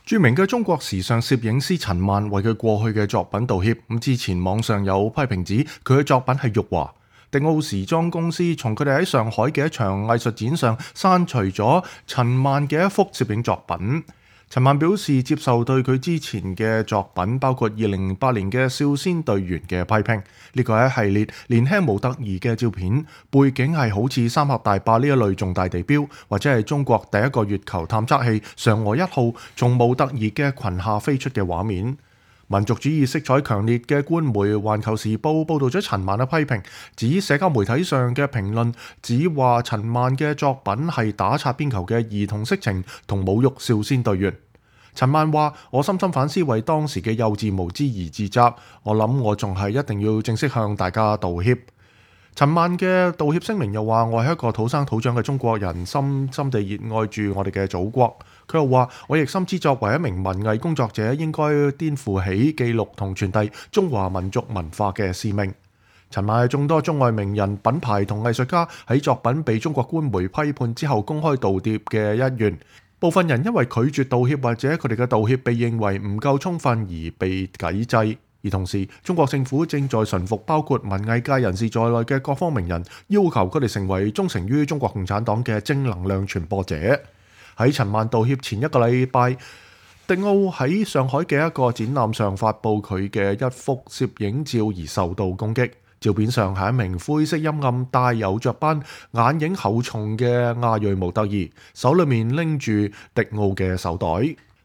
著名嘅中國時尚攝影師陳漫為佢過去嘅作品道歉。之前網上有批評指佢嘅作品係辱華。迪奧時裝公司從佢哋喺上海嘅一場藝術展上刪除咗陳漫嘅一幅攝影作品。陳漫表示接受對佢之前嘅作品，包括2008年嘅少先隊員嘅批評。呢個係一系列年輕模特兒嘅照片，背景係好似三峽大壩呢一類重大地標，或者係中國第一個月球探測器嫦娥1號從模特兒嘅裙下飛出嘅畫面。民族主義色彩強烈嘅官媒《環球時報》報導咗陳漫嘅批評，指社交媒體上嘅評論指話陳漫嘅作品係打擦邊球嘅兒童色情同侮辱少先隊員。陳漫話：我深深反思，為當時嘅幼稚無知而自責。我諗我仲係一定要正式向大家道歉。陳漫嘅道歉聲明又話：我係一個土生土長嘅中國人，深深地熱愛住我哋嘅祖國。佢又話：我亦深知作為一名文藝工作者，應該顛負起記錄同傳遞中華民族文化嘅使命。陳漫係眾多中外名人、品牌同藝術家喺作品被中國官媒批判之後公開道歉嘅一員。部分人因為拒絕道歉或者佢哋嘅道歉被認為唔夠充分而被抵制，而同時中國政府正在馴服包括文藝界人士在內嘅各方名人，要求佢哋成為忠誠於中國共產黨嘅正能量傳播者。喺陳漫道歉前一個禮拜，迪奧喺上海嘅一個展覽上發布佢嘅一幅攝影照而受到攻擊。照片上係一名灰色陰暗、帶有雀斑、眼影厚重嘅亞裔模特兒，手裏面拎住迪奧嘅手袋。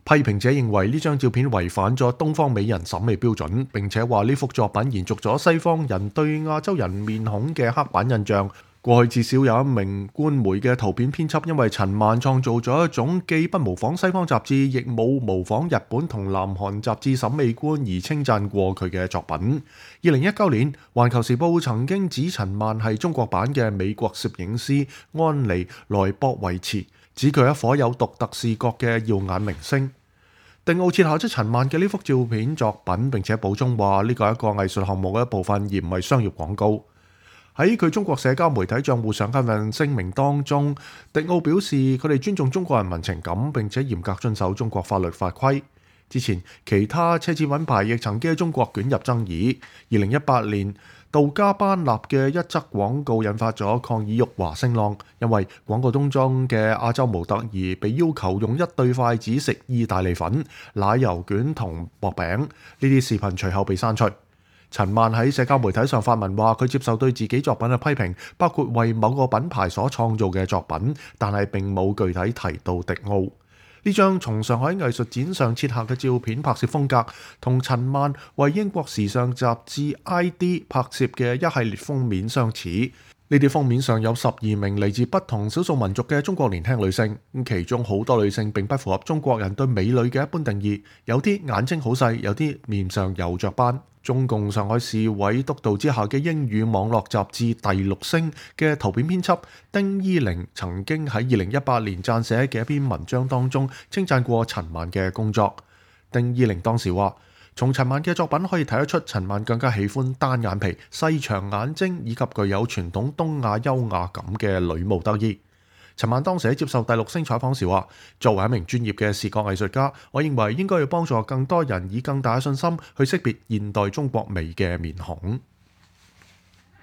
批評者認為呢張照片違反咗東方美人審美標準，並且話呢幅作品延續咗西方人對亞洲人面孔嘅刻板印象。過去至少有一名官媒嘅圖片編輯因為陳漫創造咗一種既不模仿西方雜誌，亦冇模仿日本同南韓雜誌審美觀而稱讚過佢嘅作品。2019年，《環球時報》曾經指陳漫係中國版嘅美國攝影師安妮萊博維茨，指佢係一顆有獨特視覺嘅耀眼明星。迪奧撤下咗陳漫嘅呢幅照片作品，並且補充話呢個係一個藝術項目嘅一部分，而唔係商業廣告。喺佢中國社交媒體賬戶上嘅份聲明當中，迪奧表示佢哋尊重中國人民情感，並且嚴格遵守中國法律法規。之前其他奢侈品牌亦曾經喺中國捲入爭議。2018年，杜嘉班納嘅一則廣告引發咗抗議辱華聲浪，因為廣告當中嘅亞洲模特兒被要求用一對筷子食意大利粉、奶油卷同薄餅，呢啲視頻隨後被刪除。陳漫喺社交媒體上發文話，佢接受對自己作品嘅批評，包括為某個品牌所創造嘅作品，但係並冇具體提到迪奧。呢張從上海藝術展上撤下嘅照片拍攝風格，同陳漫為英國時尚雜誌 ID 拍攝嘅一系列封面相似。呢啲封面上有12名嚟自不同少數民族嘅中國年輕女性，其中好多女性並不符合中國人對美女嘅一般定義，有啲眼睛好細，有啲面上有雀斑。中共上海市委督導之下嘅英語網絡雜誌第六星嘅圖片編輯丁依玲曾經喺2018年撰寫嘅一篇文章當中稱讚過陳漫嘅工作。丁依玲當時話，從陳漫嘅作品可以睇得出，陳漫更加喜歡單眼皮、細長眼睛以及具有傳統東亞優雅感嘅女模特兒。陳漫當時喺接受第六星採訪時話，作為一名專業嘅視覺藝術家，我認為應該要幫助更多人以更大嘅信心去識別現代中國美嘅面孔。